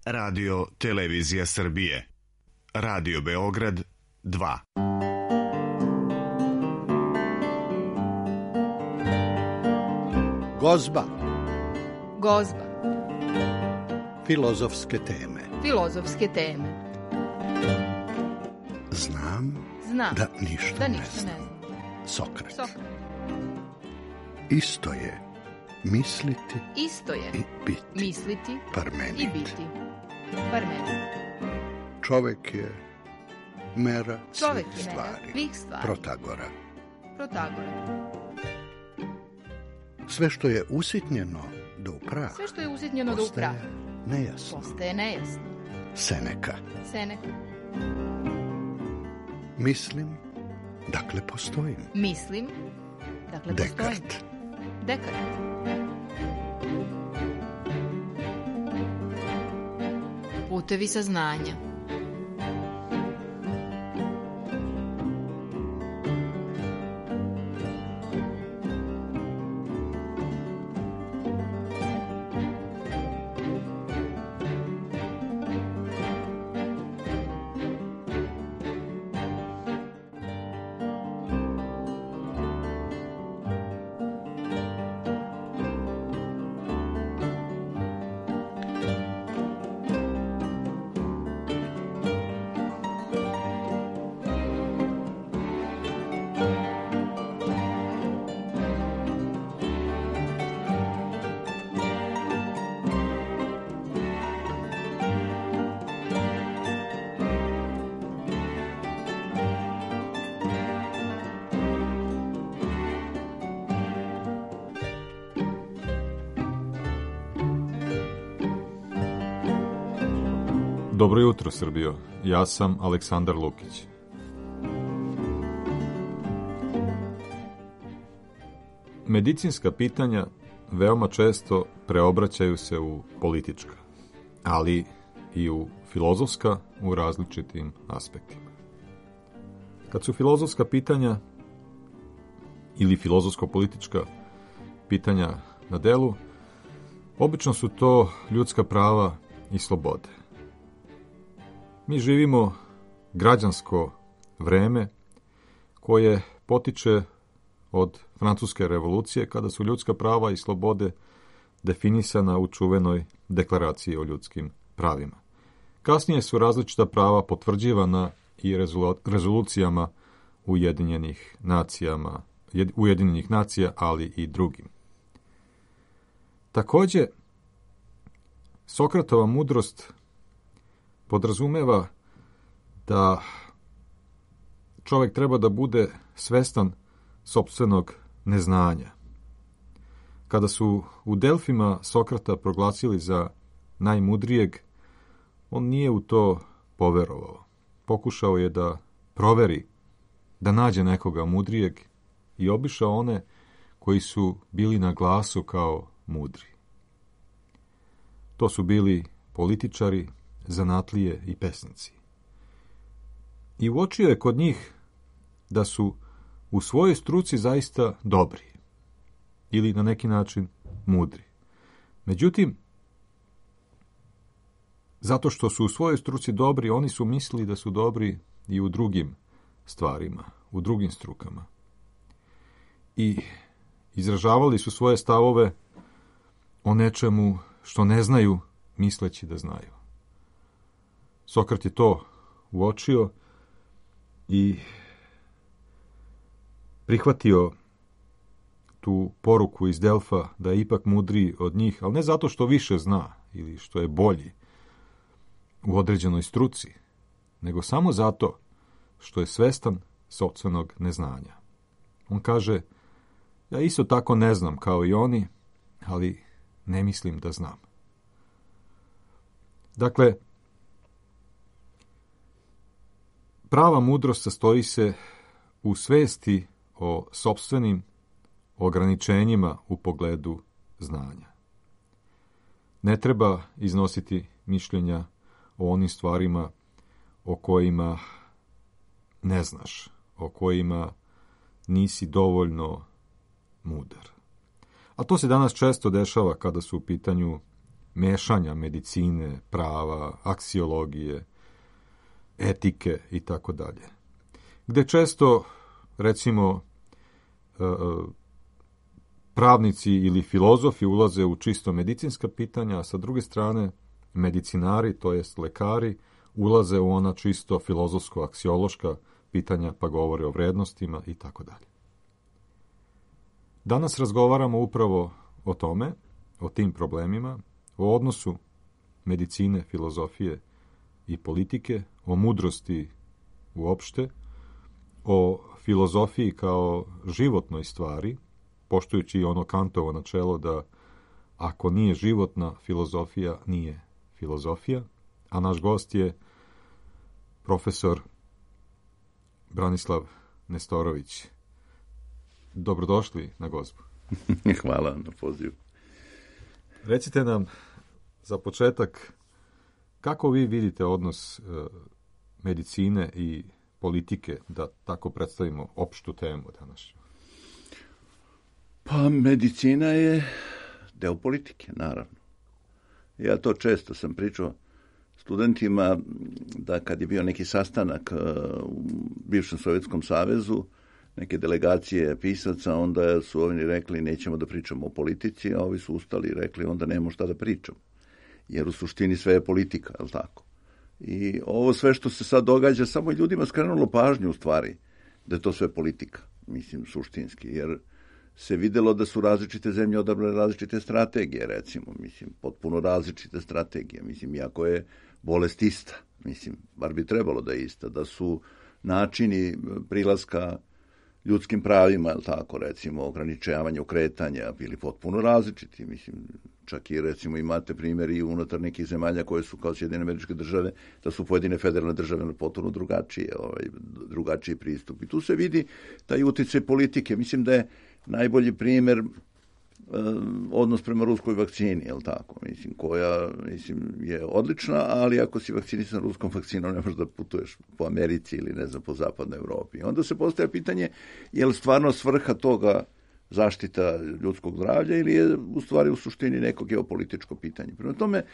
Radio Televizija Srbije. Radio Beograd 2. Gozba. Gozba. Filozofske teme. Filozofske teme. Znam Znam da ništa ne ne znam. znam. Sokrat. Sokrat. Isto je misliti Isto je i biti. misliti Parmenid. i biti. Parmenid. Čovek je mera Čovek svih je mera stvari. svih stvari. Protagora. Protagora. Sve što je usitnjeno do upraha Sve što je usitnjeno do upraha nejasno. postaje nejasno. Seneka. Seneka. Mislim, dakle postojim. Mislim, dakle postojim. Dekart. Dekart. Putevi saznanja. Dobro jutro, Srbijo. Ja sam Aleksandar Lukić. Medicinska pitanja veoma često preobraćaju se u politička, ali i u filozofska u različitim aspektima. Kad su filozofska pitanja ili filozofsko-politička pitanja na delu, obično su to ljudska prava i slobode. Mi živimo građansko vreme koje potiče od Francuske revolucije, kada su ljudska prava i slobode definisana u čuvenoj deklaraciji o ljudskim pravima. Kasnije su različita prava potvrđivana i rezolucijama Ujedinjenih nacija, ali i drugim. Također, Sokratova mudrost podrazumeva da čovjek treba da bude svestan sopstvenog neznanja. Kada su u Delfima Sokrata proglasili za najmudrijeg, on nije u to poverovao. Pokušao je da proveri, da nađe nekoga mudrijeg i obišao one koji su bili na glasu kao mudri. To su bili političari, zanatlije i pesnici. I uočio je kod njih da su u svojoj struci zaista dobri ili na neki način mudri. Međutim, zato što su u svojoj struci dobri, oni su mislili da su dobri i u drugim stvarima, u drugim strukama. I izražavali su svoje stavove o nečemu što ne znaju, misleći da znaju. Sokrat je to uočio i prihvatio tu poruku iz Delfa da je ipak mudriji od njih, ali ne zato što više zna ili što je bolji u određenoj struci, nego samo zato što je svestan sopstvenog neznanja. On kaže, ja isto tako ne znam kao i oni, ali ne mislim da znam. Dakle, prava mudrost sastoji se u svesti o sopstvenim ograničenjima u pogledu znanja. Ne treba iznositi mišljenja o onim stvarima o kojima ne znaš, o kojima nisi dovoljno mudar. A to se danas često dešava kada su u pitanju mešanja medicine, prava, aksiologije, etike i tako dalje. Gde često, recimo, pravnici ili filozofi ulaze u čisto medicinska pitanja, a sa druge strane medicinari, to jest lekari, ulaze u ona čisto filozofsko-aksiološka pitanja, pa govore o vrednostima i tako dalje. Danas razgovaramo upravo o tome, o tim problemima, o odnosu medicine, filozofije i politike, o mudrosti uopšte, o filozofiji kao životnoj stvari, poštujući ono Kantovo načelo da ako nije životna filozofija, nije filozofija, a naš gost je profesor Branislav Nestorović. Dobrodošli na Gozbu. Hvala na pozivu. Recite nam za početak kako vi vidite odnos medicine i politike, da tako predstavimo opštu temu danas. Pa medicina je deo politike, naravno. Ja to često sam pričao studentima da kad je bio neki sastanak u bivšem Sovjetskom savezu, neke delegacije pisaca, onda su oni rekli nećemo da pričamo o politici, a ovi su ustali i rekli onda nemamo šta da pričamo. Jer u suštini sve je politika, je li tako? I ovo sve što se sad događa, samo je ljudima skrenulo pažnju u stvari da je to sve politika, mislim, suštinski, jer se videlo da su različite zemlje odabrale različite strategije, recimo, mislim, potpuno različite strategije, mislim, iako je bolest ista, mislim, bar bi trebalo da je ista, da su načini prilaska ljudskim pravima, je li tako, recimo, ograničavanju kretanja bili potpuno različiti, mislim, čak i, recimo, imate primjeri i unutar nekih zemalja koje su kao Sjedinjene Američke Države, da su pojedine federalne države potpuno drugačiji pristup. I tu se vidi taj uticaj politike. Mislim da je najbolji primjer odnos prema ruskoj vakcini, je li tako? Mislim, koja je odlična, ali ako si vakcinisan ruskom vakcinom ne možeš da putuješ po Americi ili ne znam, po zapadnoj Evropi. Onda se postavlja pitanje je li stvarno svrha toga zaštita ljudskog zdravlja ili je u stvari u suštini neko geopolitičko pitanje. Prema tome,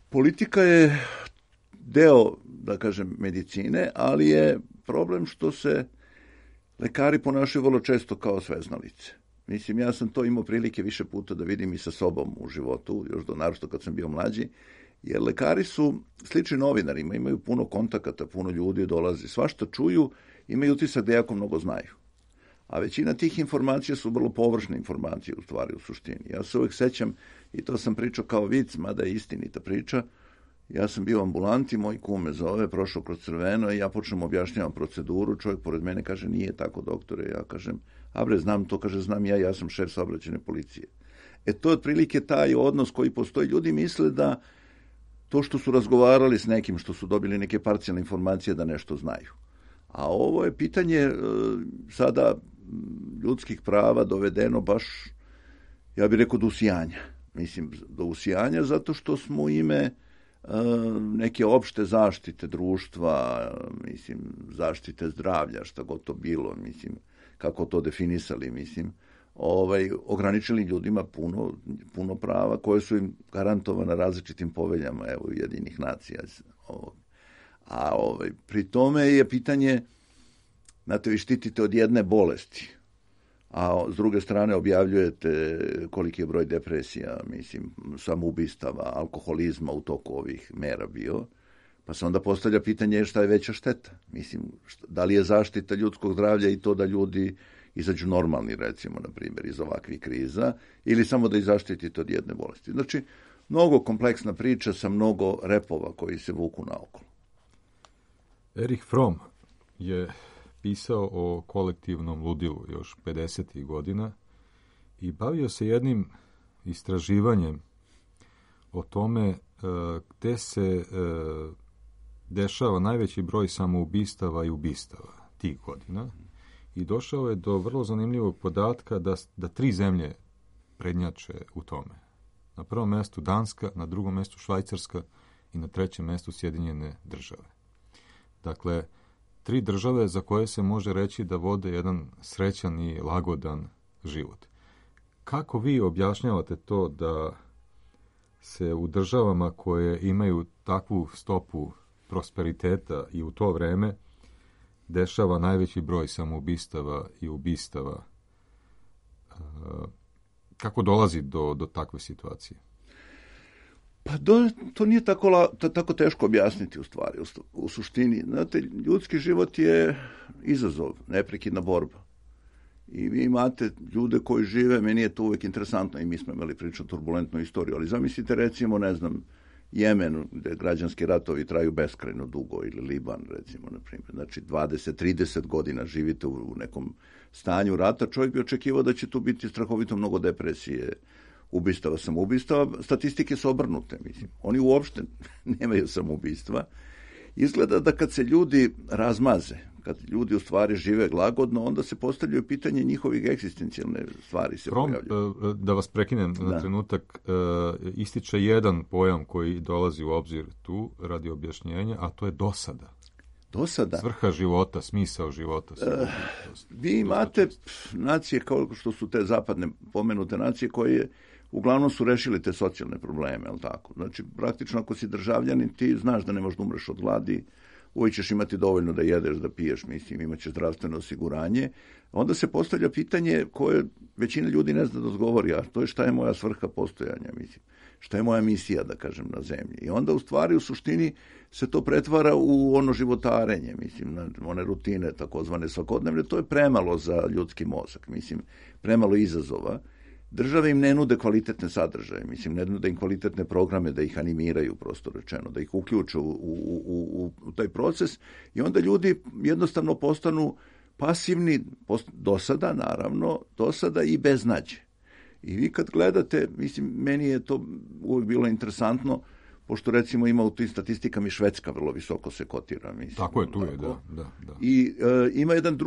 politika je deo, da kažem, medicine, ali je problem što se lekari ponašaju vrlo često kao sveznalice. Mislim, ja sam to imao prilike više puta da vidim i sa sobom u životu, još naročito kad sam bio mlađi, jer lekari su slični novinarima, imaju puno kontakata, puno ljudi dolazi, svašta čuju, imaju utisak da jako mnogo znaju. A većina tih informacija su vrlo površne informacije u stvari u suštini. Ja se uvijek sećam, i to sam pričao kao vic, mada je istinita priča, ja sam bio u ambulanti, moj kum me zove, prošao kroz crveno i ja počnem objašnjavam proceduru, čovjek pored mene kaže nije tako doktore, ja kažem a bre znam to, kaže znam ja sam šef saobraćajne policije. To je otprilike taj odnos koji postoji, ljudi misle da to što su razgovarali s nekim, što su dobili neke parcijalne informacije da nešto znaju. A ovo je pitanje sada ljudskih prava dovedeno baš, ja bih rekao, do usijanja. Mislim, do usijanja zato što smo u ime neke opšte zaštite društva, mislim, zaštite zdravlja, šta god to bilo, mislim, kako to definisali, mislim, ograničili ljudima puno prava koje su im garantovane različitim poveljama, evo, Ujedinjenih nacija. A pri tome je pitanje, znate, vi štitite od jedne bolesti, a s druge strane objavljujete koliki je broj depresija, mislim, samoubistava, alkoholizma u toku ovih mera bio, pa se onda postavlja pitanje šta je veća šteta. Mislim, da li je zaštita ljudskog zdravlja i to da ljudi izađu normalni, recimo, na primjer, iz ovakvih kriza, ili samo da ih zaštitite od jedne bolesti. Znači, mnogo kompleksna priča sa mnogo repova koji se vuku naokolo. Erich Fromm je pisao o kolektivnom ludilu još 50. godina i bavio se jednim istraživanjem o tome gde se dešava najveći broj samoubistava i ubistava tih godina i došao je do vrlo zanimljivog podatka da 3 zemlje prednjače u tome. Na prvom mjestu Danska, na drugom mjestu Švajcarska i na trećem mjestu Sjedinjene Države. Dakle, 3 države za koje se može reći da vode jedan srećan i lagodan život. Kako vi objašnjavate to da se u državama koje imaju takvu stopu prosperiteta i u to vreme dešava najveći broj samoubistava i ubistava. Kako dolazi do takve situacije? Pa to nije tako teško objasniti u stvari, u suštini. Znate, ljudski život je izazov, neprekidna borba. I vi imate ljude koji žive, meni je to uvijek interesantno i mi smo imali prilično turbulentnu istoriju, ali zamislite recimo, ne znam, Jemen, gde građanski ratovi traju beskrajno dugo, ili Liban, recimo, na primjer. Znači, 20-30 godina živite u nekom stanju rata, čovjek bi očekivao da će tu biti strahovito mnogo depresije, ubistava, samoubistava. Statistike su obrnute, mislim. Oni uopšte nemaju samoubistva. Izgleda da kad se ljudi razmaze, kad ljudi u stvari žive lagodno, onda se postavljaju pitanje njihovih egzistencijalne stvari se pojavljaju. Da vas prekinem na trenutak, ističe jedan pojam koji dolazi u obzir tu radi objašnjenja, a to je dosada. Dosada? Svrha života, smisao života. Vi imate nacije kao što su te zapadne pomenute nacije koje uglavnom su rešili te socijalne probleme, jel tako? Znači, praktično ako si državljanin, ti znaš da ne možeš da umreš od gladi, uvijek ćeš imati dovoljno da jedeš, da piješ, mislim, imat ćeš zdravstveno osiguranje. Onda se postavlja pitanje koje većina ljudi ne zna da odgovori, a to je šta je moja svrha postojanja, mislim. Šta je moja misija, da kažem, na zemlji. I onda u stvari, u suštini, se to pretvara u ono životarenje, mislim, one rutine takozvane svakodnevne. To je premalo za ljudski mozak, mislim, premalo izazova. Države im ne nude kvalitetne sadržaje, mislim, ne nude im kvalitetne programe da ih animiraju, prosto rečeno, da ih uključe u taj proces i onda ljudi jednostavno postanu pasivni, dosada, naravno, dosada i beznađe. I vi kad gledate, mislim, meni je to uvijek bilo interesantno, pošto recimo ima u tim statistikama i Švedska vrlo visoko se kotira. Mislim, tako je, tu je, da. I ima jedan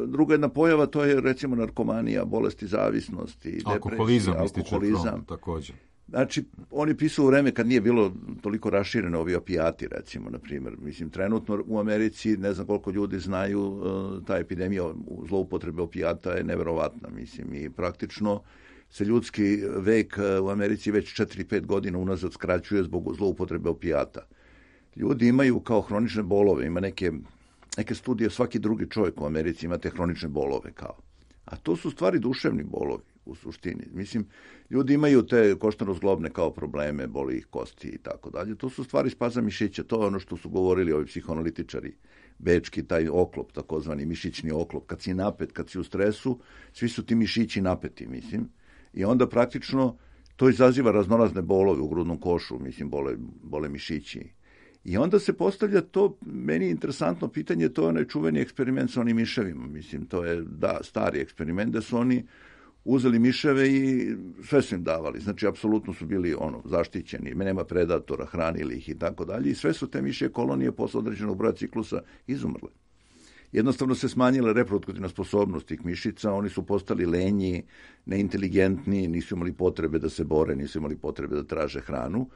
druga jedna pojava, to je recimo narkomanija, bolesti zavisnosti, alkoholizam, također. Znači, oni pisu u vreme kad nije bilo toliko raširene ovi opijati, recimo, na primjer. Mislim, trenutno u Americi, ne znam koliko ljudi znaju, ta epidemija zloupotrebe opijata je neverovatna, mislim, i praktično se ljudski vek u Americi već 4-5 godina unazad skraćuje zbog zloupotrebe opijata. Ljudi imaju kao hronične bolove, ima neke studije, svaki drugi čovjek u Americi ima te hronične bolove kao. A to su stvari duševni bolovi u suštini. Mislim, ljudi imaju te koštano-zglobne kao probleme, boli ih kosti i tako dalje. To su stvari spaza mišića, to je ono što su govorili ovi psihoanalitičari. Bečki, taj oklop, takozvani mišićni oklop. Kad si napet, kad si u stresu, svi su ti mišići napeti, mislim. I onda praktično to izaziva raznorazne bolove u grudnom košu, mislim, bole mišići. I onda se postavlja to, meni interesantno pitanje, to je onaj čuveni eksperiment sa onim miševima, mislim, to je, stari eksperiment, da su oni uzeli miševe i sve su im davali, znači, apsolutno su bili, zaštićeni, nema predatora, hranili ih i tako dalje, i sve su te mišje kolonije posle određenog broja ciklusa izumrle. Jednostavno se smanjila reproduktivna sposobnost tih mišica, oni su postali lenji, neinteligentni, nisu imali potrebe da se bore, nisu imali potrebe da traže hranu.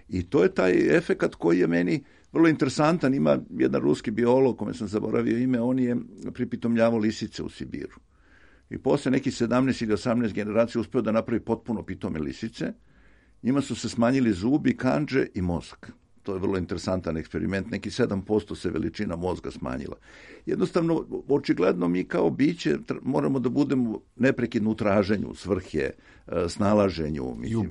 I to je taj efekat koji je meni vrlo interesantan. Ima jedan ruski biolog, kome sam zaboravio ime, on je pripitomljavao lisice u Sibiru. I posle nekih 17 ili 18 generacija uspeo da napravi potpuno pitome lisice. Njima su se smanjili zubi, kandže i mozak. To je vrlo interesantan eksperiment, neki 7% se veličina mozga smanjila. Jednostavno, očigledno mi kao biće moramo da budemo neprekidno u traženju, svrhe, snalaženju. Mislim.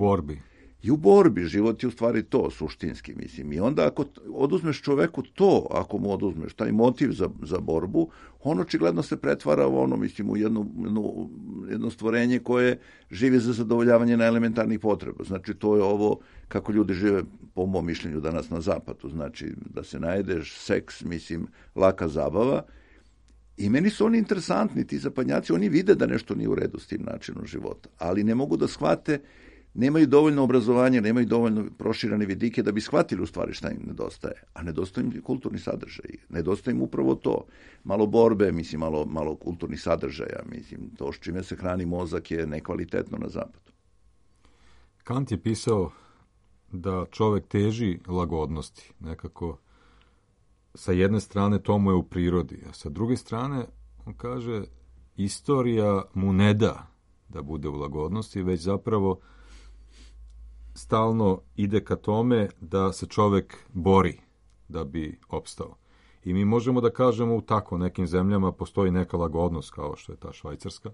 I u borbi, život je u stvari to, suštinski, mislim. I onda ako oduzmeš čoveku to, ako mu oduzmeš taj motiv za borbu, on očigledno se pretvara u mislim, u jedno stvorenje koje živi za zadovoljavanje na elementarnih potreba. Znači, to je ovo kako ljudi žive, po mom mišljenju, danas na zapadu. Znači, da se najedeš, seks, mislim, laka zabava. I meni su oni interesantni, ti zapadnjaci, oni vide da nešto nije u redu s tim načinom života, ali ne mogu da shvate, nemaju dovoljno obrazovanja, nemaju dovoljno proširene vidike da bi shvatili u stvari šta im nedostaje. A nedostaje im kulturni sadržaj. Nedostaje im upravo to. Malo borbe, mislim, malo kulturnih sadržaja. Mislim, to s čime se hrani mozak je nekvalitetno na zapadu. Kant je pisao da čovek teži lagodnosti. Nekako sa jedne strane to mu je u prirodi, a sa druge strane on kaže istorija mu ne da bude u lagodnosti, već zapravo stalno ide ka tome da se čovek bori da bi opstao. I mi možemo da kažemo u tako nekim zemljama postoji neka lagodnost kao što je ta Švajcarska,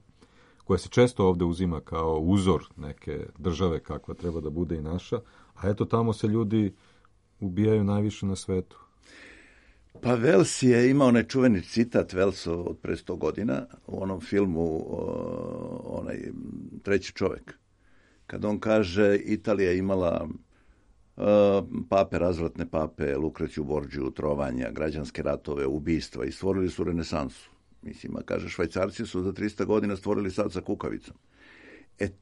koja se često ovde uzima kao uzor neke države kakva treba da bude i naša, a eto tamo se ljudi ubijaju najviše na svetu. Pa Welles je imao onaj čuveni citat Wellsov od pre 100 godina u onom filmu onaj Treći čovek. Kad on kaže Italija je imala pape, razvratne pape, Lukreciju Borđiju, trovanja, građanske ratove, ubistva i stvorili su renesansu. Mislim, a kaže, Švajcarci su za 300 godina stvorili sad sa kukavicom.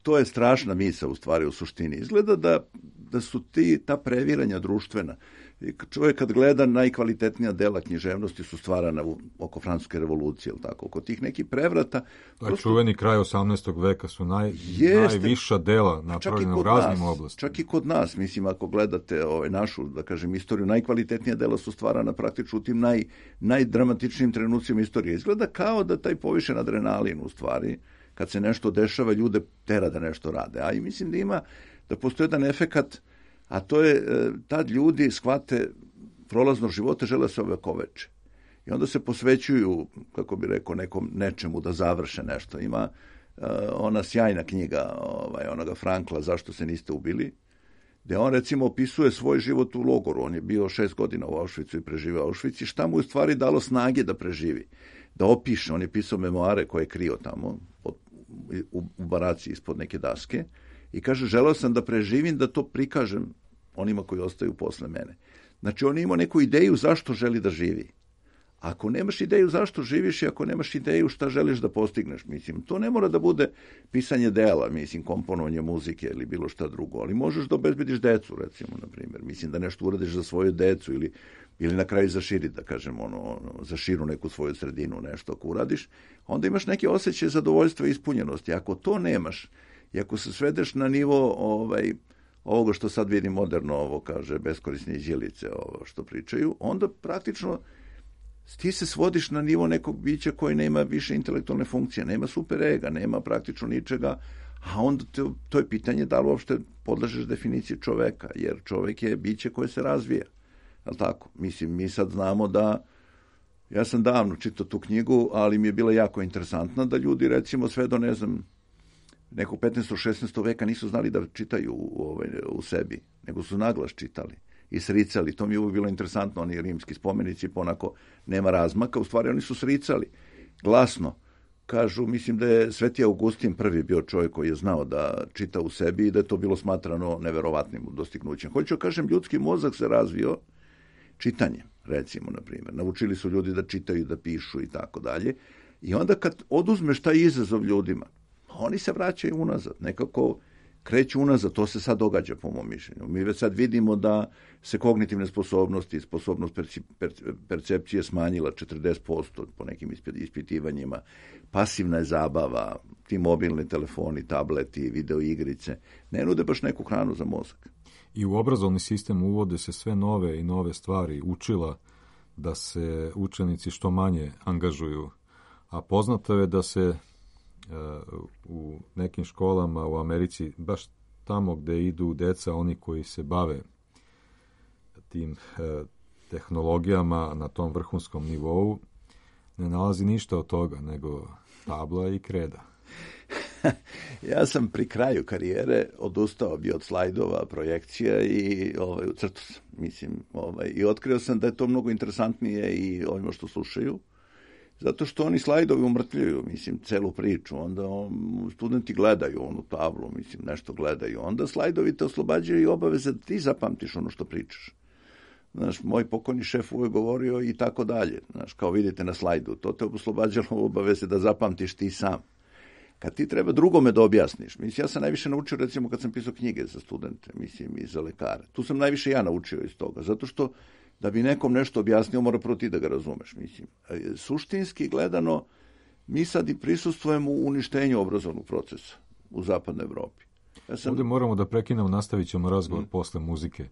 To je strašna misa u stvari u suštini. Izgleda da su ta previranja društvena. Čovjek kad gleda najkvalitetnija dela književnosti su stvarana oko Francuske revolucije, ili tako, oko tih nekih prevrata. Taj čuveni kraj 18. veka su najviša dela napravljena u raznim oblastima. Čak i kod nas, mislim, ako gledate našu, da kažem, istoriju, najkvalitetnija dela su stvarana praktično u tim najdramatičnijim trenucima istorije. Izgleda kao da taj povišen adrenalin u stvari, kad se nešto dešava, ljude tera da nešto rade. A i mislim da postoji jedan efekat, a to je tad ljudi shvate prolazno života, žele se ovekoveče. I onda se posvećuju, kako bi rekao, nečemu da završe nešto. Ima ona sjajna knjiga onoga Frankla, Zašto se niste ubili, gde on recimo opisuje svoj život u logoru. On je bio 6 godina u Auschwitzu i preživio Auschwitz i šta mu je u stvari dalo snage da preživi, da opiše. On je pisao memoare koje je krio tamo u baraci ispod neke daske i kaže, želeo sam da preživim, da to prikažem onima koji ostaju posle mene. Znači, on je imao neku ideju zašto želi da živi. Ako nemaš ideju zašto živiš i ako nemaš ideju šta želiš da postigneš, mislim, to ne mora da bude pisanje dela, mislim, komponovanje muzike ili bilo šta drugo, ali možeš da obezbediš decu, recimo, na primjer. Mislim, da nešto uradiš za svoju decu ili na kraju zaširi, da kažem, zaširu neku svoju sredinu, nešto ako uradiš, onda imaš neke osjećaje zadovoljstva i ispunjenosti. Ako to nemaš i ako se svedeš na nivo ovoga što sad vidim moderno, ovo kaže, beskorisne iđelice, ovo što pričaju, onda praktično ti se svodiš na nivo nekog bića koji nema više intelektualne funkcije, nema super ega, nema praktično ničega, a onda to je pitanje da li uopšte podležeš definiciji čoveka, jer čovek je biće koje se razvija. Jel' tako? Mislim, mi sad znamo da, ja sam davno čitao tu knjigu, ali mi je bila jako interesantna da ljudi, recimo, sve do, ne znam, nekog 15. 16. veka nisu znali da čitaju u sebi, nego su naglas čitali i sricali. To mi je uvijek bilo interesantno, oni rimski spomenici, ponako nema razmaka, u stvari oni su sricali glasno. Kažu, mislim da je Sveti Augustin prvi bio čovjek koji je znao da čita u sebi i da je to bilo smatrano neverovatnim dostignućem. Hoću kažem, ljudski mozak se razvio čitanjem, recimo, na primjer. Naučili su ljudi da čitaju, da pišu i tako dalje. I onda kad oduzmeš taj izazov ljudima, oni se vraćaju unazad, nekako kreću unazad, to se sad događa po mom mišljenju. Mi već sad vidimo da se kognitivne sposobnosti i sposobnost percepcije smanjila 40% po nekim ispitivanjima. Pasivna je zabava, ti mobilni telefoni, tableti, videoigrice, ne nude baš neku hranu za mozak. I u obrazovni sistem uvode se sve nove i nove stvari, učila da se učenici što manje angažuju, a poznato je da se u nekim školama u Americi, baš tamo gde idu deca, oni koji se bave tim tehnologijama na tom vrhunskom nivou, ne nalazi ništa od toga, nego tabla i kreda. Ja sam pri kraju karijere odustao bi od slajdova, projekcija i u crtu sam, mislim, i otkrio sam da je to mnogo interesantnije i ovima što slušaju, zato što oni slajdovi umrtljuju, mislim, celu priču, onda studenti gledaju onu tablu, mislim, nešto gledaju, onda slajdovi te oslobađaju i obaveze da ti zapamtiš ono što pričaš. Znaš, moj pokojni šef uvijek govorio i tako dalje, znaš, kao vidite na slajdu, to te oslobađalo obaveze da zapamtiš ti sam. Kad ti treba drugome da objasniš, mislim, ja sam najviše naučio, recimo, kad sam pisao knjige za studente, mislim, i za lekare. Tu sam najviše ja naučio iz toga, zato što da bi nekom nešto objasnio, mora prvo ti da ga razumeš, mislim. Suštinski gledano, mi sad i prisustvujemo u uništenju obrazovnog procesa u zapadnoj Evropi. Ovdje moramo da prekinemo, nastavit ćemo razgovor posle muzike.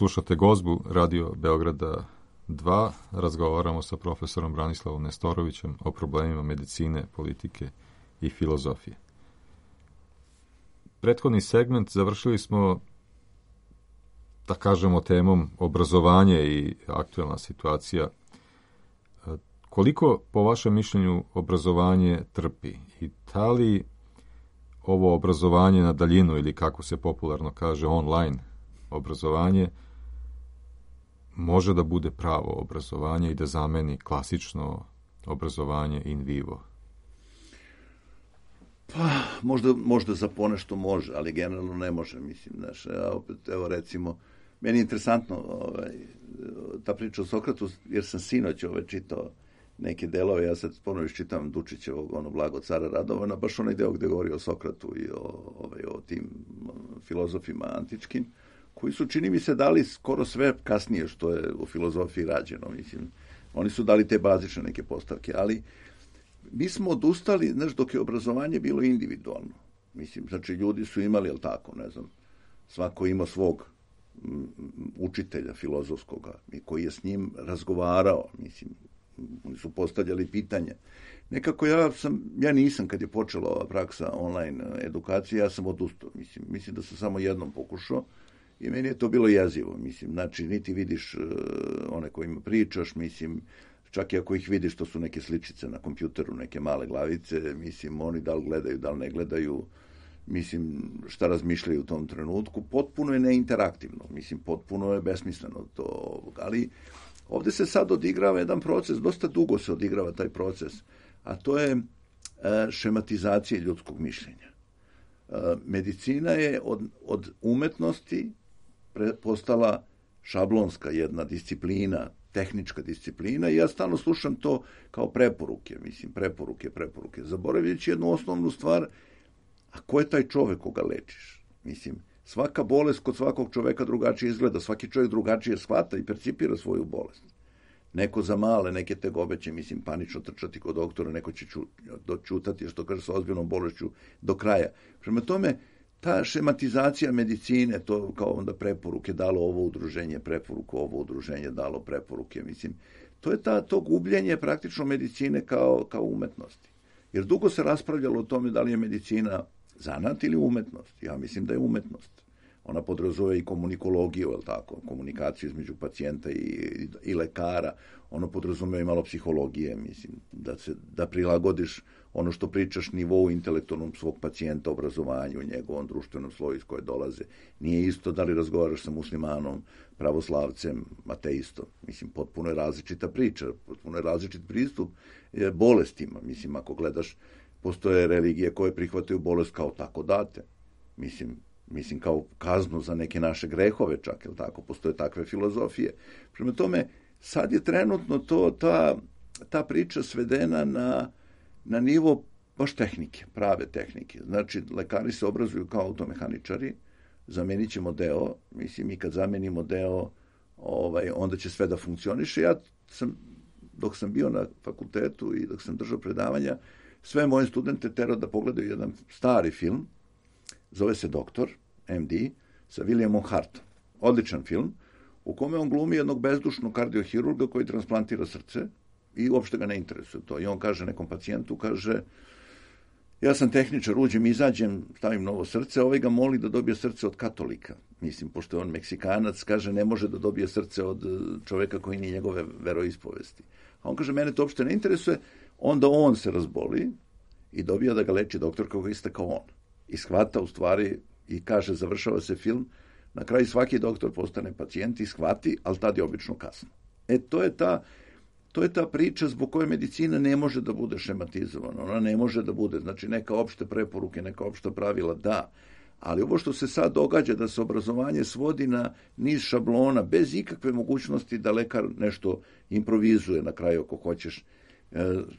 Slušate Gozbu Radio Beograda 2. Razgovaramo sa profesorom Branislavom Nestorovićem o problemima medicine, politike i filozofije. Prethodni segment završili smo, da kažemo, temom obrazovanje i aktuelna situacija. Koliko, po vašem mišljenju, obrazovanje trpi? I da li ovo obrazovanje na daljinu, ili kako se popularno kaže online obrazovanje, može da bude pravo obrazovanje i da zameni klasično obrazovanje in vivo? Pa, možda za ponešto može, ali generalno ne može, mislim, znaš, opet, evo recimo, meni je interesantno ta priča o Sokratu, jer sam sinoć čitao neke delove, ja sad ponovno iščitam Dučićevog, Blago cara Radovana, baš onaj deo gde govori o Sokratu i o tim filozofima antičkim, koji su, čini mi se, dali skoro sve kasnije što je u filozofiji rađeno, mislim, oni su dali te bazične neke postavke, ali mi smo odustali, znaš, dok je obrazovanje bilo individualno, mislim, znači ljudi su imali, jel tako, ne znam, svako ima svog učitelja filozofskoga i koji je s njim razgovarao, mislim, oni su postavljali pitanja. Nekako ja nisam, kad je počela ova praksa online edukacije, ja sam odustao, mislim da sam samo jednom pokušao i meni je to bilo jezivo, mislim, znači niti vidiš one kojima pričaš, mislim, čak i ako ih vidiš, to su neke sličice na kompjuteru, neke male glavice, mislim, oni da li gledaju, da li ne gledaju, mislim, šta razmišljaju u tom trenutku, potpuno je neinteraktivno, mislim, potpuno je besmisleno to, ali ovde se sad odigrava jedan proces, dosta dugo se odigrava taj proces, a to je šematizacija ljudskog mišljenja. Medicina je od umetnosti postala šablonska jedna disciplina, tehnička disciplina i ja stalno slušam to kao preporuke, mislim, preporuke, zaboravljajući jednu osnovnu stvar, a ko je taj čovek koga lečiš? Mislim, svaka bolest kod svakog čoveka drugačije izgleda, svaki čovjek drugačije shvata i percipira svoju bolest. Neko za male, neke tegobe će, mislim, panično trčati kod doktora, neko će doćutati, što kaže, sa ozbiljnom bolešću do kraja. Prema tome, ta šematizacija medicine, to kao onda preporuke, dalo ovo udruženje preporuku, ovo udruženje dalo preporuke, mislim, to je to gubljenje praktično medicine kao umetnosti. Jer dugo se raspravljalo o tome da li je medicina zanat ili umetnost. Ja mislim da je umetnost. Ona podrazumeva i komunikologiju, je li tako, komunikaciju između pacijenta i lekara. Ono podrazumeva i malo psihologije, mislim, da prilagodiš ono što pričaš nivou intelektualnom svog pacijenta, obrazovanju, njegovom društvenom sloju iz koje dolaze. Nije isto da li razgovaraš sa muslimanom, pravoslavcem, ateistom. Mislim, potpuno je različita priča, potpuno je različit pristup bolestima. Mislim, ako gledaš, postoje religije koje prihvataju bolest kao tako date. Mislim kao kaznu za neke naše grehove čak, jel tako, postoje takve filozofije. Prema tome, sad je trenutno ta priča svedena na nivo baš tehnike, prave tehnike. Znači, lekari se obrazuju kao automehaničari, zamenit ćemo deo, mislim, i kad zamenimo deo, onda će sve da funkcioniše. Dok sam bio na fakultetu i dok sam držao predavanja, sve moje studente terao da pogledaju jedan stari film, zove se Doktor, MD, sa Williamom Hartom. Odličan film, u kome on glumi jednog bezdušnog kardiohirurga koji transplantira srce i uopšte ga ne interesuje to. I on kaže nekom pacijentu, kaže, ja sam tehničar, uđem, izađem, stavim novo srce, ovaj ga moli da dobije srce od katolika. Mislim, pošto je on Meksikanac, kaže, ne može da dobije srce od čoveka koji nije njegove veroispovesti. A on kaže, mene to uopšte ne interesuje, onda on se razboli i dobija da ga leči doktor kako iste kao on. I shvata u stvari i kaže, završava se film, na kraju svaki doktor postane pacijent i shvati, ali tad je obično kasno. To je ta priča zbog koje medicina ne može da bude šematizovana. Ona ne može da bude, znači neka opšte preporuke, neka opšta pravila, da. Ali ovo što se sad događa, da se obrazovanje svodi na niz šablona, bez ikakve mogućnosti da lekar nešto improvizuje na kraju ako hoćeš,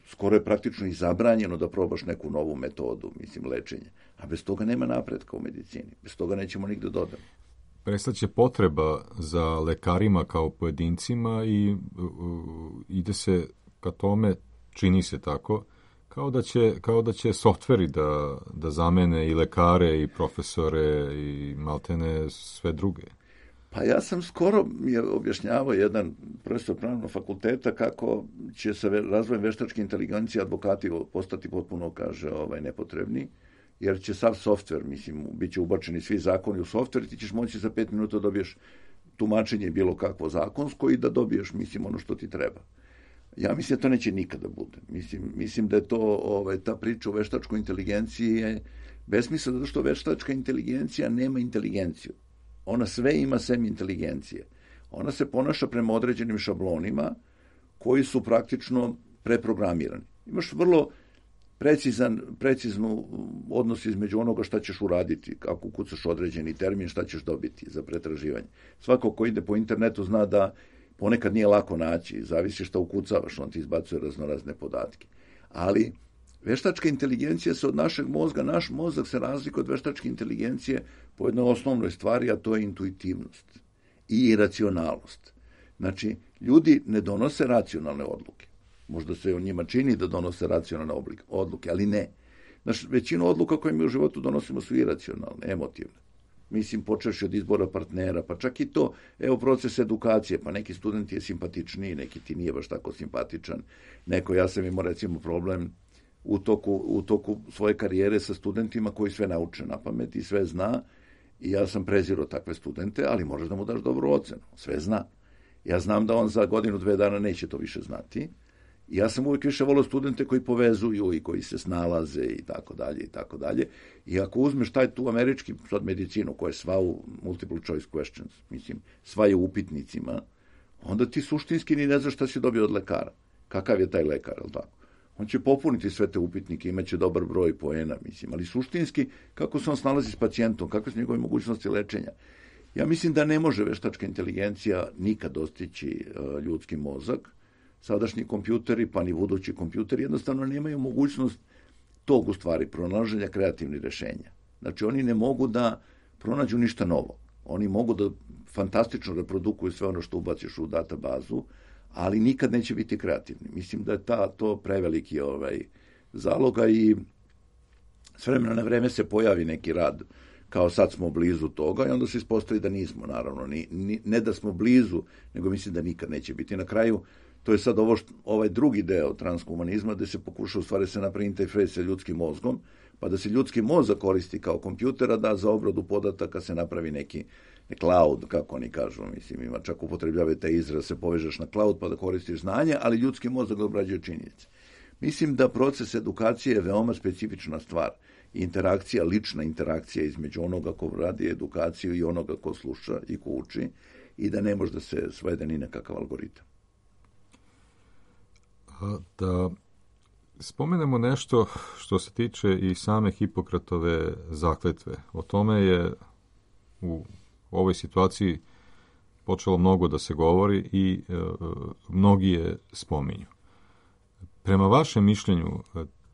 skoro je praktično i zabranjeno da probaš neku novu metodu, mislim, lečenja. A bez toga nema napretka u medicini. Bez toga nećemo nigde dodati. Prestaće potreba za lekarima kao pojedincima i ide se ka tome, čini se tako, kao da će softveri da zamene i lekare i profesore i maltene sve druge. Pa ja sam skoro mi je objašnjavao jedan profesor pravnog fakulteta kako će sa razvojem veštačke inteligencije advokati postati potpuno, kaže, nepotrebni, jer će sav softver, mislim, bit će ubačeni svi zakoni u softver i ti ćeš moći za 5 minuta dobiješ tumačenje bilo kakvo zakonsko i da dobiješ, mislim, ono što ti treba. Ja mislim da to neće nikada bude. Mislim da je to, ta priča o veštačkoj inteligenciji je besmislena, zato što veštačka inteligencija nema inteligenciju. Ona sve ima sem inteligencije. Ona se ponaša prema određenim šablonima koji su praktično preprogramirani. Imaš vrlo preciznu odnos između onoga šta ćeš uraditi, kako ukucaš određeni termin, šta ćeš dobiti za pretraživanje. Svako ko ide po internetu zna da ponekad nije lako naći, zavisi šta ukucavaš, on ti izbacuje raznorazne podatke. Ali veštačka inteligencija se od našeg mozga, naš mozak se razlikuje od veštačke inteligencije po jednoj osnovnoj stvari, a to je intuitivnost i iracionalnost. Znači, ljudi ne donose racionalne odluke. Možda se o njima čini da donose racionalne odluke, ali ne. Znači, većinu odluka koje mi u životu donosimo su iracionalne, emotivne. Mislim, počeš od izbora partnera, pa čak i to, evo, proces edukacije, pa neki student je simpatičniji, neki ti nije baš tako simpatičan. Ja sam imao, recimo, problem u toku svoje karijere sa studentima koji sve nauče na pamet i sve zna, i ja sam prezirao takve studente, ali moraš da mu daš dobru ocenu, sve zna. Ja znam da on za 1-2 dana neće to više znati. I ja sam uvijek više volio studente koji povezuju i koji se snalaze i tako dalje i tako dalje. I ako uzmeš tu američki sad medicinu koja je sva u multiple choice questions, mislim, sva je u upitnicima, onda ti suštinski ni ne znaš šta si dobio od lekara. Kakav je taj lekar, je li tako? On će popuniti sve te upitnike, imaće dobar broj poena, mislim, ali suštinski kako se on snalazi s pacijentom, kakve su njegove mogućnosti lečenja. Ja mislim da ne može veštačka inteligencija nikad dostići ljudski mozak. Sadašnji kompjuteri, pa ni budući kompjuteri, jednostavno nemaju mogućnost tog, u stvari, pronalaženja kreativnih rešenja. Znači, oni ne mogu da pronađu ništa novo. Oni mogu da fantastično reprodukuju sve ono što ubaciš u databazu, ali nikad neće biti kreativni. Mislim da je to preveliki zaloga i s vremena na vreme se pojavi neki rad, kao sad smo blizu toga, i onda se ispostavi da nismo, naravno. Ne da smo blizu, nego mislim da nikad neće biti. Na kraju, to je sad ovaj drugi deo transhumanizma, gde se pokuša u stvari se napravi interfejs sa ljudskim mozgom, pa da se ljudski mozak koristi kao kompjutera, da za obradu podataka se napravi neki cloud, kako oni kažu, mislim, ima čak upotrebljavaju taj izraz, se povežeš na cloud pa da koristiš znanje, ali ljudski mozak da obrađuje činjenice. Mislim da proces edukacije je veoma specifična stvar. Interakcija, lična interakcija između onoga ko radi edukaciju i onoga ko sluša i ko uči, i da ne može da se svede ni nekakav algoritam. Da spomenemo nešto što se tiče i same Hipokratove zakletve. O tome je u ovoj situaciji počelo mnogo da se govori i mnogi je spominju. Prema vašem mišljenju,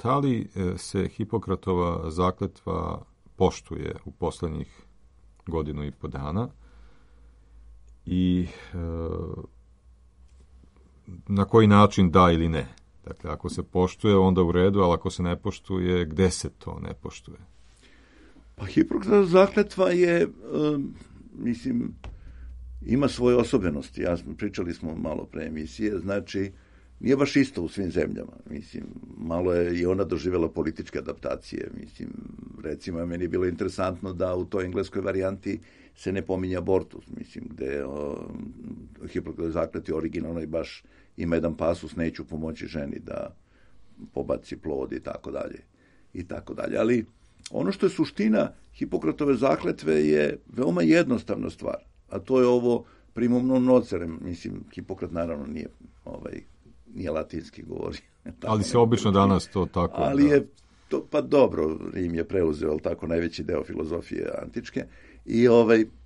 da li se Hipokratova zakletva poštuje u poslednjih 1.5 dana i na koji način da ili ne? Dakle, ako se poštuje, onda u redu, ali ako se ne poštuje, gde se to ne poštuje? Pa Hipokratova zakletva je, mislim, ima svoje osobenosti. Pričali smo malo pre emisije, znači, nije baš isto u svim zemljama. Mislim, malo je i ona doživjela političke adaptacije. Mislim, recimo, meni je bilo interesantno da u toj engleskoj varijanti se ne pominje abortus, mislim, gde Hipokratova zakletva originalno i baš ima jedan pasus, neću pomoći ženi da pobaci plod i tako dalje. I tako dalje. Ali ono što je suština Hipokratove zakletve je veoma jednostavna stvar, a to je ovo primum non nocere. Mislim, Hipokrat naravno nije latinski govori. Ali se obično danas to tako... Ali je to, pa dobro, Rim je preuzeo, ali tako, najveći deo filozofije antičke.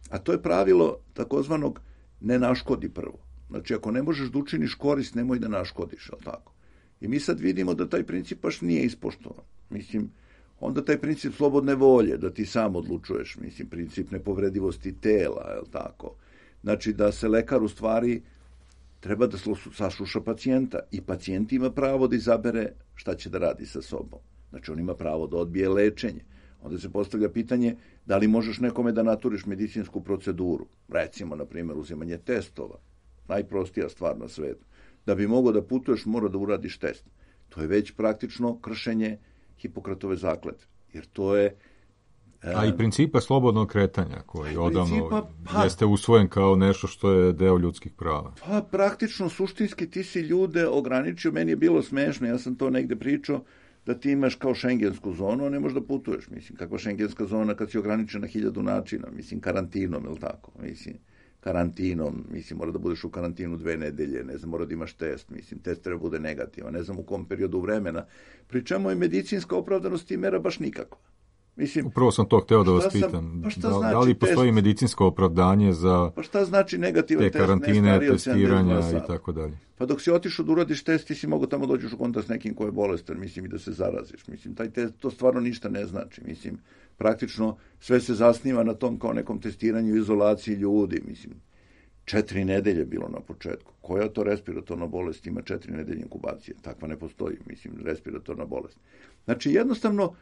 A to je pravilo takozvanog ne naškodi prvo. Znači, ako ne možeš da učiniš korist, nemoj da naškodiš, ali tako. I mi sad vidimo da taj princip baš nije ispoštovan. Mislim, onda taj princip slobodne volje, da ti sam odlučuješ, mislim, princip nepovredivosti tela, je li tako? Znači, da se lekar u stvari treba da sasluša pacijenta i pacijent ima pravo da izabere šta će da radi sa sobom. Znači, on ima pravo da odbije lečenje. Onda se postavlja pitanje da li možeš nekome da naturiš medicinsku proceduru. Recimo, na primjer, uzimanje testova. Najprostija stvar na svetu. Da bi mogao da putuješ, mora da uradiš test. To je već praktično kršenje Hipokratove zakletve. Jer to je... A i principa slobodnog kretanja, koji odavno jeste usvojen kao nešto što je deo ljudskih prava. Pa praktično, suštinski ti si ljude ograničio. Meni je bilo smešno, ja sam to negde pričao, da ti imaš kao šengensku zonu, a ne možeš da putuješ. Mislim, kakva šengenska zona kad si ograničen na 1000 načina. Mislim, karantinom, ili tako? Mislim, karantinom, mislim, mora da budeš u karantinu 2 nedelje, ne znam, mora da imaš test, mislim, test treba bude negativan, ne znam u kom periodu vremena. Pri čemu je medicinska opravdanost tih mera baš nikakva. Mislim, upravo sam to hteo da vas pitam. Da li postoji medicinsko opravdanje za pa šta znači negativan te karantine, testiranja i tako dalje? Pa dok si otišao da uradiš test, ti si mogo tamo dođeš u kontakt s nekim ko je bolestan, mislim, i da se zaraziš. Mislim, taj test, to stvarno ništa ne znači. Mislim, praktično sve se zasniva na tom kao nekom testiranju, izolaciji ljudi. Mislim, 4 nedelje bilo na početku. Koja to respiratorna bolest ima 4 nedelje inkubacije? Takva ne postoji, mislim, respiratorna bolest. Znači, jednostavno,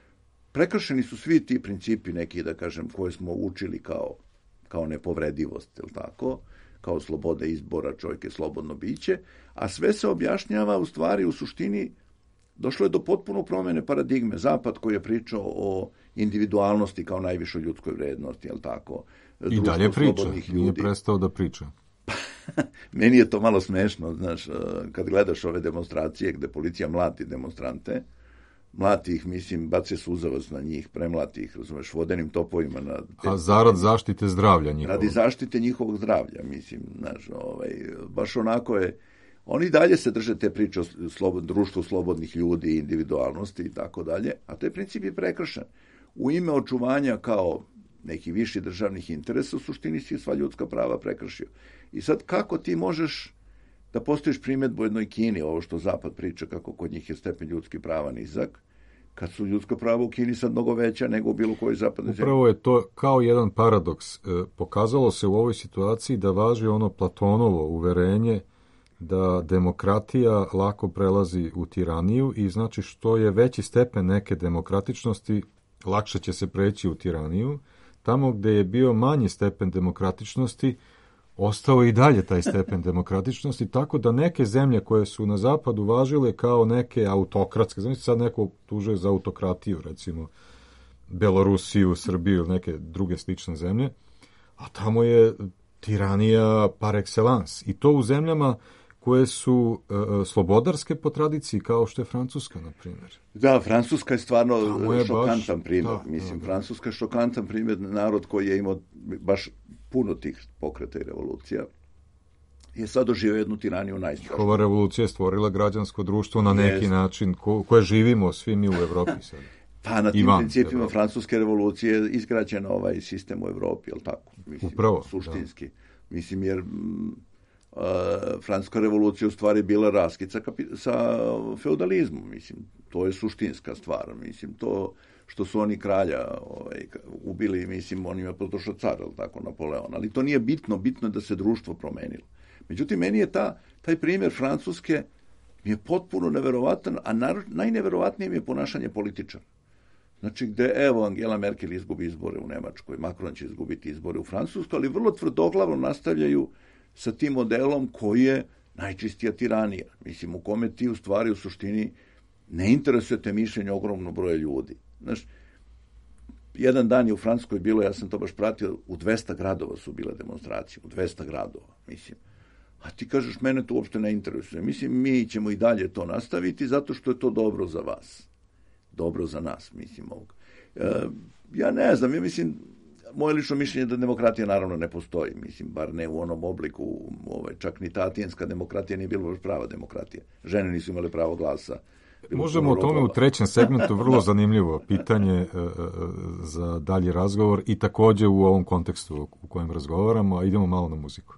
prekršeni su svi ti principi neki, da kažem, koje smo učili kao nepovredivost, je li tako? Kao slobode izbora, čovjek je slobodno biće, a sve se objašnjava u stvari, u suštini, došlo je do potpuno promjene paradigme. Zapad koji je pričao o individualnosti kao najvišoj ljudskoj vrednosti, je li tako? I dalje priča, nije prestao da priča. Meni je to malo smešno, znaš, kad gledaš ove demonstracije gde policija mlati demonstrante, mlati ih, mislim, bace suzavac na njih, premlati ih, razumeš, vodenim topovima. A zarad zaštite zdravlja njihovog? Radi zaštite njihovog zdravlja, mislim, znaš, baš onako je, oni dalje se drže te priče o društvu slobodnih ljudi, individualnosti i tako dalje, a taj princip je prekršen. U ime očuvanja kao neki viši državnih interesa, u suštini si sva ljudska prava prekršio. I sad, kako ti možeš da postojiš primjedbu u jednoj Kini, ovo što Zapad priča, kako kod njih je stepen ljudskih prava nizak, kad su ljudska prava u Kini sad mnogo veća nego u bilo kojoj zapadnoj zemlji. Upravo je to kao jedan paradoks. Pokazalo se u ovoj situaciji da važi ono Platonovo uverenje da demokratija lako prelazi u tiraniju i znači što je veći stepen neke demokratičnosti, lakše će se preći u tiraniju. Tamo gde je bio manji stepen demokratičnosti, ostao i dalje taj stepen demokratičnosti, tako da neke zemlje koje su na zapadu važile kao neke autokratske, znači sad neko tužuje za autokratiju, recimo Belorusiju, Srbiju, neke druge slične zemlje, a tamo je tiranija par excellence. I to u zemljama koje su slobodarske po tradiciji, kao što je Francuska, na primjer. Da, Francuska je stvarno šokantan primjer. Francuska je šokantan primjer, narod koji je imao baš puno tih pokreta i revolucija, je sad doživio jednu tiraniju najstrašniju. Ova revolucija je stvorila građansko društvo na neki način koje živimo svi mi u Evropi sad. Pa na tim principima francuske revolucije je izgrađen ovaj sistem u Evropi, je li tako? Mislim, upravo. Suštinski. Da. Mislim, jer francuska revolucija u stvari bila raskid sa feudalizmom, mislim, to je suštinska stvar, mislim, to što su oni kralja ubili, mislim, on ima potrošao car, tako, Napoleon, ali to nije bitno, bitno je da se društvo promenilo. Međutim, meni je taj primjer Francuske mi je potpuno neverovatan, a najneverovatnije mi je ponašanje političara. Znači, gde, evo, Angela Merkel izgubi izbore u Nemačkoj, Macron će izgubiti izbore u Francuskoj, ali vrlo tvrdoglavno nastavljaju sa tim modelom koji je najčistija tiranija. Mislim, u kome ti u stvari u suštini ne interesujete mišljenje ogromnog broja ljudi. Znaš, jedan dan je u Francuskoj bilo, ja sam to baš pratio, u 200 gradova su bile demonstracije, u 200 gradova, mislim. A ti kažeš, mene to uopšte ne interesuje. Mislim, mi ćemo i dalje to nastaviti zato što je to dobro za vas. Dobro za nas, mislim, ovog. Ja ne znam, ja mislim, moje lično mišljenje je da demokratija naravno ne postoji, mislim, bar ne u onom obliku, čak ni ta atinska demokratija nije bila baš prava demokratija. Žene nisu imale pravo glasa. Možemo o tome u trećem segmentu, vrlo zanimljivo pitanje za dalji razgovor i također u ovom kontekstu u kojem razgovaramo, a idemo malo na muziku.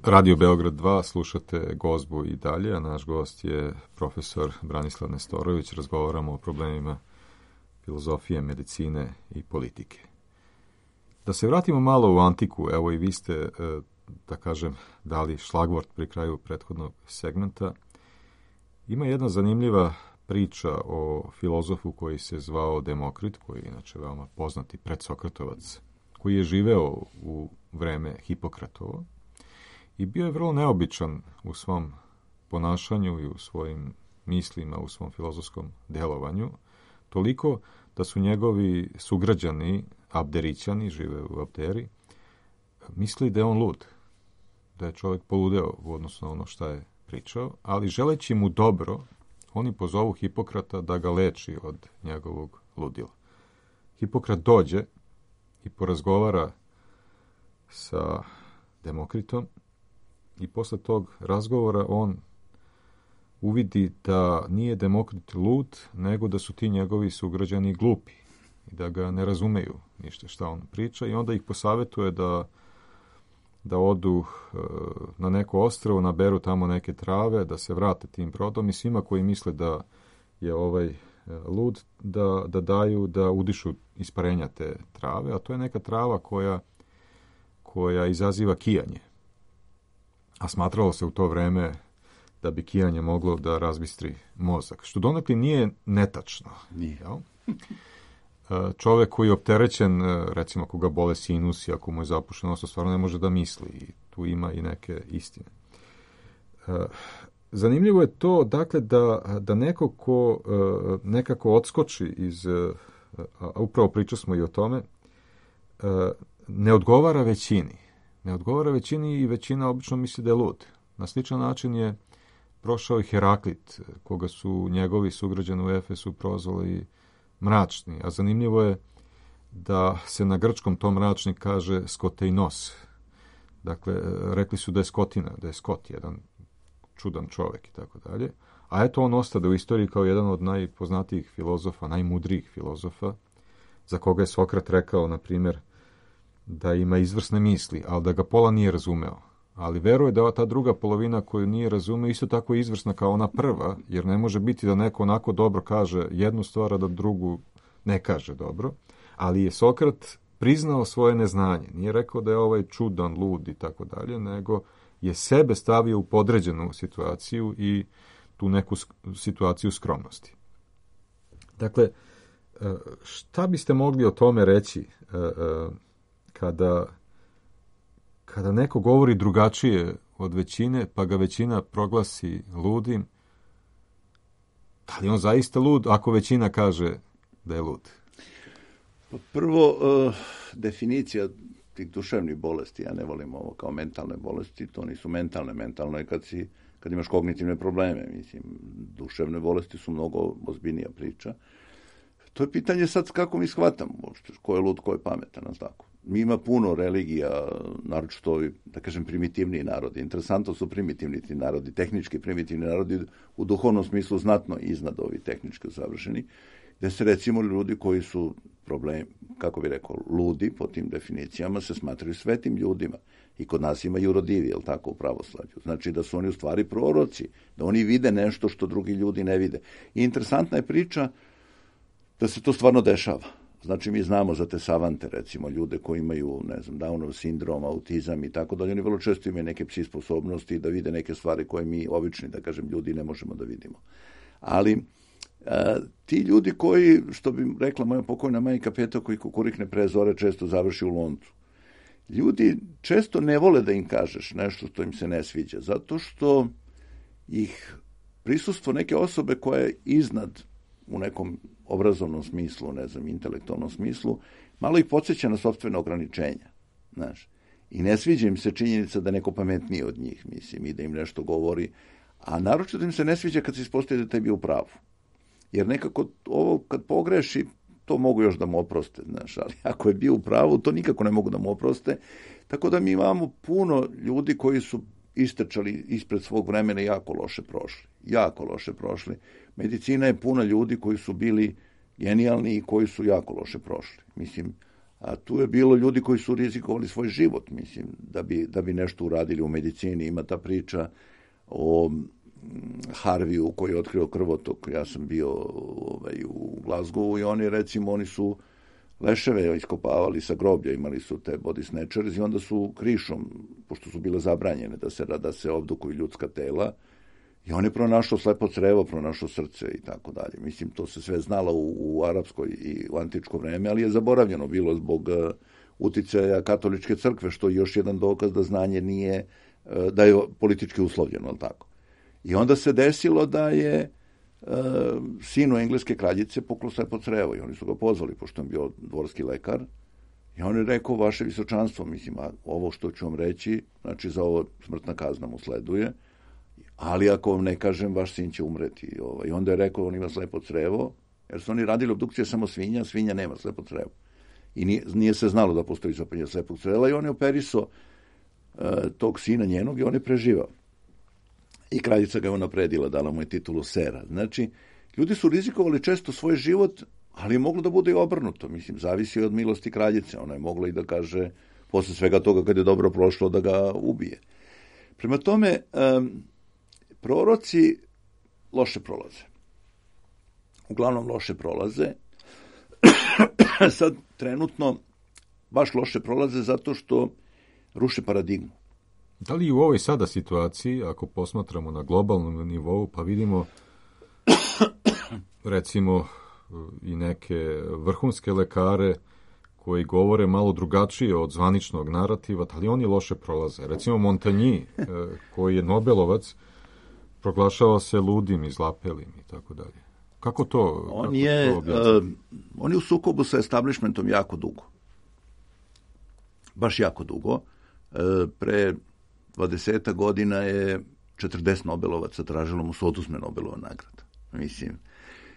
Radio Beograd 2, slušate Gozbu i dalje, a naš gost je profesor Branislav Nestorović. Razgovaramo o problemima filozofije, medicine i politike. Da se vratimo malo u antiku, evo i vi ste, da kažem, dali šlagvort pri kraju prethodnog segmenta. Ima jedna zanimljiva priča o filozofu koji se zvao Demokrit, koji je inače veoma poznati predsokratovac, koji je živeo u vreme Hipokratovo i bio je vrlo neobičan u svom ponašanju i u svojim mislima, u svom filozofskom delovanju, toliko da su njegovi sugrađani, Abderićani, žive u Abderi, mislili da je on lud, da je čovjek poludeo u odnosu na ono šta je pričao, ali želeći mu dobro, oni pozovu Hipokrata da ga leči od njegovog ludila. Hipokrat dođe i porazgovara sa Demokritom i posle tog razgovora on uvidi da nije Demokrit lud, nego da su ti njegovi sugrađani glupi i da ga ne razumeju ništa šta on priča i onda ih posavetuje da odu na neko ostrvo, naberu tamo neke trave, da se vrate tim brodom i svima koji misle da je ovaj lud, da daju, da udišu isparenja te trave, a to je neka trava koja izaziva kijanje. A smatralo se u to vreme da bi kijanje moglo da razbistri mozak, što donekle nije netačno. Nije. Jel? Čovek koji je opterećen, recimo ako ga bole sinusi, ako mu je zapušeno nos, stvarno ne može da misli i tu ima i neke istine. Zanimljivo je to, dakle, da neko ko nekako odskoči iz, a upravo pričali smo i o tome, ne odgovara većini. Ne odgovara većini i većina obično misli da je lud. Na sličan način je prošao i Heraklit, koga su njegovi sugrađani u Efesu prozvali mračni, a zanimljivo je da se na grčkom to mračni kaže skoteinos. Dakle, rekli su da je skotina, da je skot, jedan čudan čovjek i tako dalje. A eto on ostade u istoriji kao jedan od najpoznatijih filozofa, najmudrijih filozofa, za koga je Sokrat rekao, na primjer, da ima izvrsne misli, ali da ga pola nije razumeo. Ali veruje da ta druga polovina koju nije razumeo isto tako je izvrsna kao ona prva, jer ne može biti da neko onako dobro kaže jednu stvar, a da drugu ne kaže dobro. Ali je Sokrat priznao svoje neznanje. Nije rekao da je ovaj čudan, lud i tako dalje, nego je sebe stavio u podređenu situaciju i tu neku situaciju skromnosti. Dakle, šta biste mogli o tome reći kada neko govori drugačije od većine, pa ga većina proglasi ludim, da li on zaista lud ako većina kaže da je lud? Prvo, definicija tih duševnih bolesti, ja ne volim ovo kao mentalne bolesti, to nisu mentalne. Mentalno je kad imaš kognitivne probleme. Mislim, duševne bolesti su mnogo ozbiljnija priča. To je pitanje sad kako mi shvatamo, ko je lud, ko je pametan, tako. Mi ima puno religija, naročito ovi, da kažem, primitivniji narodi. Interesantno su primitivni ti narodi, tehnički primitivni narodi, u duhovnom smislu znatno iznad ovi tehnički savršeni, gde se recimo ljudi koji su kako bi rekao, ludi po tim definicijama se smatraju svetim ljudima. I kod nas ima jurodivi, jel tako, u pravoslavlju. Znači da su oni u stvari proroci, da oni vide nešto što drugi ljudi ne vide. I interesantna je priča da se to stvarno dešava. Znači, mi znamo za te savante, recimo, ljude koji imaju, ne znam, Downov sindrom, autizam i tako dalje. Oni vrlo često imaju neke psi sposobnosti da vide neke stvari koje mi, obični, da kažem, ljudi ne možemo da vidimo. Ali ti ljudi koji, što bi rekla moja pokojna majka Peta, koji kukurikne pre zore, često završi u loncu. Ljudi često ne vole da im kažeš nešto što im se ne sviđa, zato što ih prisustvo neke osobe koja je iznad u nekom obrazovnom smislu, ne znam, intelektualnom smislu, malo ih podsjeća na sopstvene ograničenja, znaš. I ne sviđa im se činjenica da neko pametniji od njih, mislim, i da im nešto govori, a naročito im se ne sviđa kad se ispostavi da tebi u pravu. Jer nekako ovo kad pogreši, to mogu još da mu oproste, znaš, ali ako je bio u pravu, to nikako ne mogu da mu oproste. Tako da mi imamo puno ljudi koji su istrčali ispred svog vremena jako loše prošli. Medicina je puna ljudi koji su bili genijalni i koji su jako loše prošli. Mislim, A tu je bilo ljudi koji su rizikovali svoj život, mislim, da bi nešto uradili u medicini. Ima ta priča o Harviju koji je otkrio krvotok. Ja sam bio u Glasgowu i oni su leševe iskopavali sa groblja, imali su te body snatchers i onda su krišom, pošto su bile zabranjene da se obdukuju ljudska tela, i on je pronašao slepo crevo, pronašao srce i tako dalje. Mislim, to se sve znalo u arapskoj i u antičko vreme, ali je zaboravljeno bilo zbog uticaja katoličke crkve, što je još jedan dokaz da znanje nije, da je politički uslovljeno, ali tako. I onda se desilo da je sinu engleske kraljice puklo slepo crevo i oni su ga pozvali, pošto je bio dvorski lekar, i on je rekao, vaše visočanstvo, mislim, a ovo što ću vam reći, znači za ovo smrtna kazna mu sleduje, ali ako vam ne kažem, vaš sin će umreti. I onda je rekao, on ima slepo crevo, jer su oni radili obdukcije samo svinja nema slepo crevo. I nije se znalo da postoji zapaljenje slepog creva i on je operisao tog sina njenog i on je preživao. I kraljica ga je unapredila, dala mu je titulu sera. Znači, ljudi su rizikovali često svoj život, ali je moglo da bude i obrnuto. Mislim, zavisi od milosti kraljice. Ona je mogla i da kaže, posle svega toga kad je dobro prošlo, da ga ubije. Prema tome, proroci loše prolaze. Uglavnom loše prolaze. Sad, trenutno, baš loše prolaze zato što ruše paradigmu. Da li u ovoj sada situaciji, ako posmatramo na globalnom nivou, pa vidimo recimo i neke vrhunske lekare koji govore malo drugačije od zvaničnog narativa, da li oni loše prolaze? Recimo Montagny, koji je Nobelovac, proglašava se ludim i zlapelim i tako dalje. Kako to objasniti? On je u sukobu sa establishmentom jako dugo. Baš jako dugo. Pre 20 godina je 40 Nobelovaca tražilo mu se oduzme Nobelova nagrada. Mislim,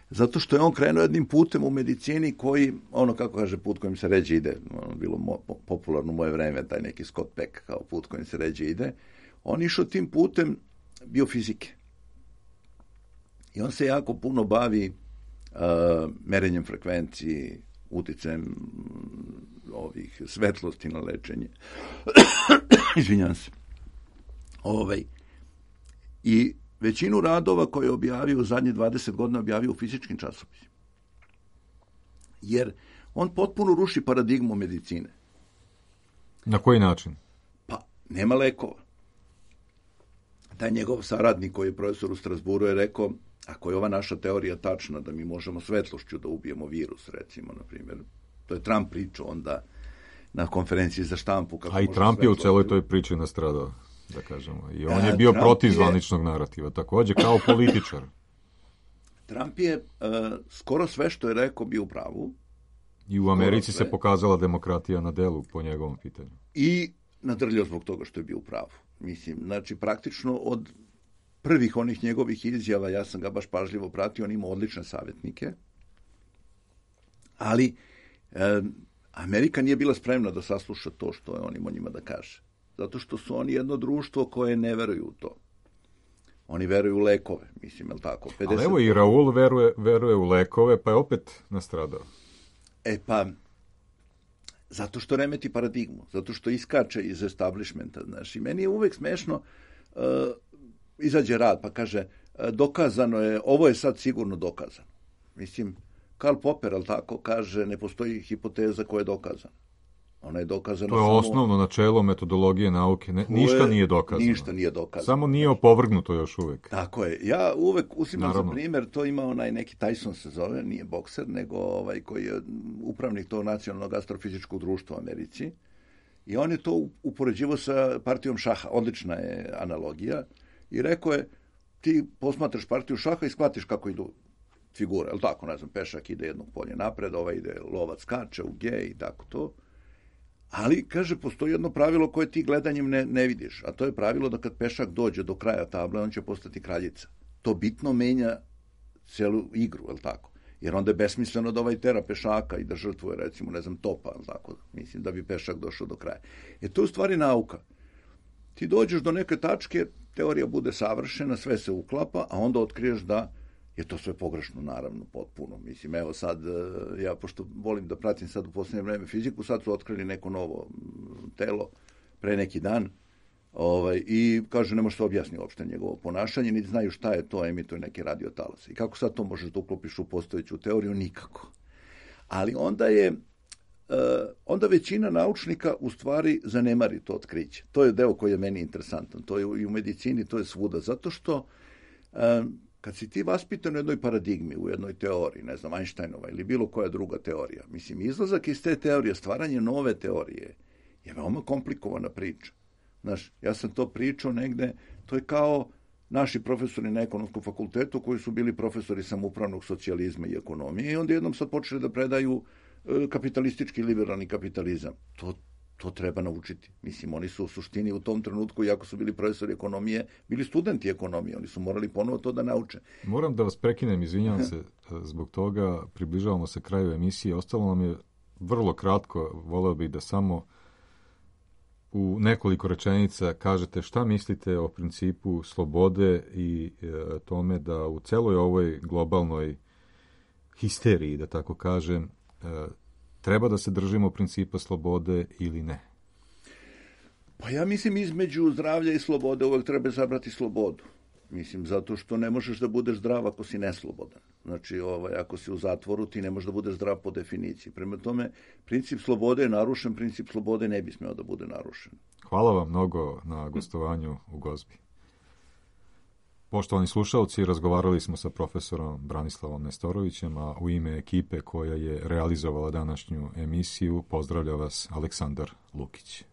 zato što je on krenuo jednim putem u medicini koji, ono kako kaže, put kojim se ređe ide, bilo popularno u moje vreme, taj neki Scott Peck kao put kojim se ređe ide, on išao tim putem biofizike. I on se jako puno bavi merenjem frekvenciji, uticajem ovih svetlosti na lečenje. Izvinjam se. I većinu radova koje je objavio u zadnje 20 godina objavio u fizičkim časopisima. Jer on potpuno ruši paradigmu medicine. Na koji način? Pa, nema lekova. Taj njegov saradnik koji je profesor u Strasburu je rekao, ako je ova naša teorija tačna da mi možemo svetlošću da ubijemo virus, recimo, na primjer, to je Trump pričao onda na konferenciji za štampu. A i Trump je u celoj toj priči nastradao, da kažemo. I on je bio protiv zvaničnog narativa, također, kao političar. Trump je skoro sve što je rekao bio u pravu. I u Americi se pokazala demokratija na delu po njegovom pitanju. I nadrljao zbog toga što je bio u pravu. Mislim, znači, praktično od prvih onih njegovih izjava, ja sam ga baš pažljivo pratio, on ima odlične savjetnike, ali Amerika nije bila spremna da sasluša to što je on imao njima da kaže. Zato što su oni jedno društvo koje ne veruju u to. Oni veruju u lekove, mislim, je li tako? 50%. Ali evo i Raul veruje u lekove, pa je opet nastradao. Pa, zato što remeti paradigmu, zato što iskače iz establishmenta, znaš. I meni je uvek smešno, izađe rad pa kaže, dokazano je, ovo je sad sigurno dokazano. Mislim, Karl Popper, ali tako, kaže, ne postoji hipoteza koja je dokazana. Ona je dokazana. To je osnovno načelo metodologije nauke. Ništa nije dokazano. Ništa nije dokazano. Samo nije opovrgnuto još uvek. Tako je. Ja uvek uzimam za primjer, to ima onaj neki Tyson se zove, nije bokser, nego koji je upravnik tog nacionalnog astrofizičkog društva u Americi. I on je to upoređivao sa partijom šaha. Odlična je analogija. I rekao je, ti posmatraš partiju šaha i shvatiš kako idu figure. Ali tako, ne znam, pešak ide jednog polje napred, ide lovac skače u G i tako to. Ali, kaže, postoji jedno pravilo koje ti gledanjem ne vidiš, a to je pravilo da kad pešak dođe do kraja table, on će postati kraljica. To bitno menja celu igru, je li tako? Jer onda je besmisleno da tera pešaka i da žrtvuje, recimo, ne znam, topa, je li tako? Mislim, da bi pešak došao do kraja. To je u stvari nauka. Ti dođeš do neke tačke, teorija bude savršena, sve se uklapa, a onda otkriješ da je to sve pogrešno, naravno, potpuno. Mislim, evo sad, ja pošto volim da pratim sad u posljednje vreme fiziku, sad su otkrili neko novo telo pre neki dan, i kaže, ne može se objasniti uopšte njegovo ponašanje, niti znaju šta je to, emituje neke radiotalase. I kako sad to možeš da uklopiš u postojeću teoriju? Nikako. Ali onda većina naučnika u stvari zanemari to otkriće. To je deo koji je meni interesantan. To je i u medicini, to je svuda. Zato što kad si ti vaspitan u jednoj paradigmi, u jednoj teoriji, ne znam, Einsteinova ili bilo koja druga teorija, mislim, izlazak iz te teorije, stvaranje nove teorije je veoma komplikovana priča. Znaš, ja sam to pričao negde, to je kao naši profesori na ekonomskom fakultetu koji su bili profesori samoupravnog socijalizma i ekonomije i onda jednom sad počeli da predaju kapitalistički liberalni kapitalizam. To treba naučiti. Mislim, oni su u suštini u tom trenutku, iako su bili profesori ekonomije, bili studenti ekonomije. Oni su morali ponovo to da nauče. Moram da vas prekinem, izvinjavam se zbog toga. Približavamo se kraju emisije. Ostalo nam je vrlo kratko. Voleo bih da samo u nekoliko rečenica kažete šta mislite o principu slobode i tome da u celoj ovoj globalnoj histeriji, da tako kažem, treba da se držimo principa slobode ili ne? Pa ja mislim između zdravlja i slobode uvek treba zabrati slobodu. Mislim, zato što ne možeš da budeš zdrav ako si neslobodan. Znači, ako si u zatvoru, ti ne možeš da budeš zdrav po definiciji. Prema tome, princip slobode je narušen, princip slobode ne bi smeo da bude narušen. Hvala vam mnogo na gostovanju u Gozbi. Poštovani slušalci, razgovarali smo sa profesorom Branislavom Nestorovićem, a u ime ekipe koja je realizovala današnju emisiju pozdravlja vas Aleksandar Lukić.